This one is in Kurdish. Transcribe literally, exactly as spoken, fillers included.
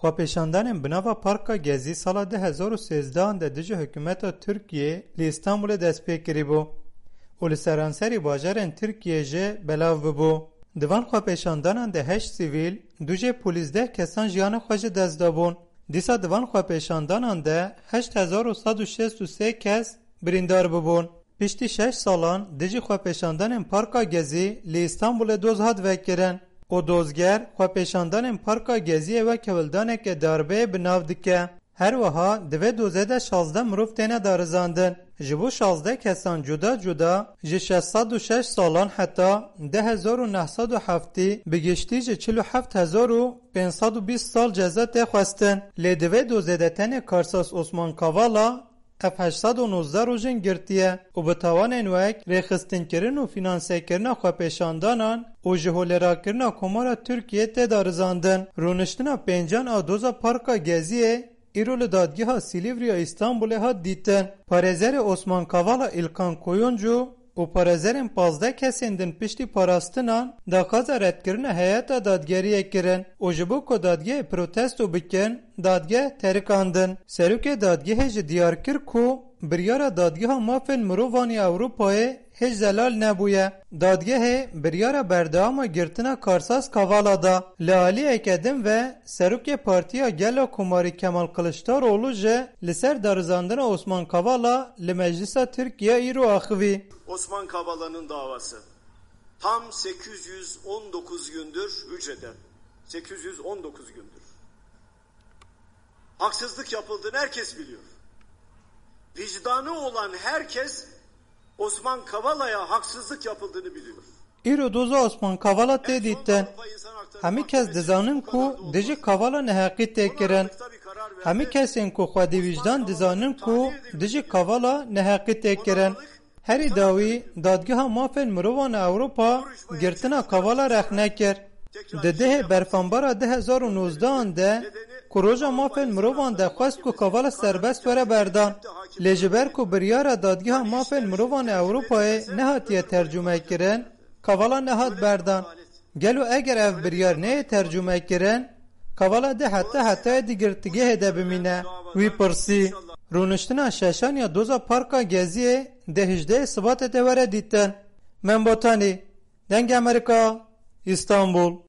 Xwepêşandanên bi nava Parka Gezî sala du hezar û sêzdeh de dijî hikûmeta Tirkiyê li Îstanbulê dest pê kirîbû û li seranserî bajarên Tirkiyê jî belav bûbû. Di van xwepêşandanan de heşt sivîl, du jê polîs deh kesan jiyana xwe ji dest dabûn. Dîsa di van xwepêşandanan de heşt hezar û sed û şêst û sê kes birîndar bûbûn. Piştî şeş salan dijî xwepêşandanên Parka Gezî li Îstanbulê doz hat vekirin û dozger xwepêşandanên Parka Geziyê wek hewldaneke darbeyê bi nav dike. Her wiha di vê dozê de şazdeh mirov têne darizandin. Ji bo şazdeh kesan cuda cuda ji şeş sed û şeş salan heta du hezar û neh sed û heftî, bi giştî ji çil û heft hezar û pênc sed û bîst sal ceza tê xwestin. Lê di vê dozê de tenê karsaz Osman Kavala F heşt sed û nozdeh rojên girtiye û bi tawanên wek rêxistinkirin û fînansekirina xwepêşandanan û ji holêrakirina Komara Tirkiyê tê darizandin. Rûniştina pêncan a doza Parka Geziyê îro li Dadgeha Silîvriya Îstanbulê hat dîtin. Parêzerê Osman Kavala Îlkan Koyuncu û parêzerên pazdeh kesên din piştî parastinan daxwaza redkirina heyeta dadgeriyê kirin û ji bo ku dadgehê protesto bikin, dadgeh terikandin. Serokê dadgehê jî diyar kir ku biryara Dadgeha Mafên Mirovan ya Ewropayê hêj zelal nebûye. Dadgehê biryara berdewama girtina karsaz Kavala da. Li aliyeke din ve Serokê Partiya Gel a Komarî Kemal Kiliçdaroglu jî li ser darizandina Osman Kavala li Meclisa Tirkiye îro axivî. Osman Kavala'nın davası tam sekiz yüz on dokuz gündür hücrede. Sekiz yüz on dokuz gündür. Haksızlık yapıldığını herkes biliyor. Vicdanı olan herkes Osman Kavala'ya haksızlık yapıldığını biliyor. Îro doza Osman Kavala tê dîtin. Hemî kes dizanin ku dijî Kavala neheqî tê kirin. Hemî kesên ku xwedî wîjdan dizanin ku dijî Kavala neheqî tê kirin. Herî dawî, Dadgeha Mafên Mirovan a Ewropa girtina Kavala rexne kir. Di dehê berfanbara du hezar û nozdeh an de ku Roja Mafên Mirovan de xwest ku Kavala serbest were berdan. Lê ji ber ku biryara Dadgeha Mafên Mirovan a Ewropayê nehatiye tercûmekirin, Kavala nehat berdan. Gelo eger ev biryar neyê tercûmekirin, Kavala dê heta hetayê di girtîgehê de bimîne? Wî pirsî. Rûniştina şeşan ya doza Parka Geziyê dê hejdehê Sibatê de were dîtin. Membotanî, Dengê Amerîka, Îstanbul.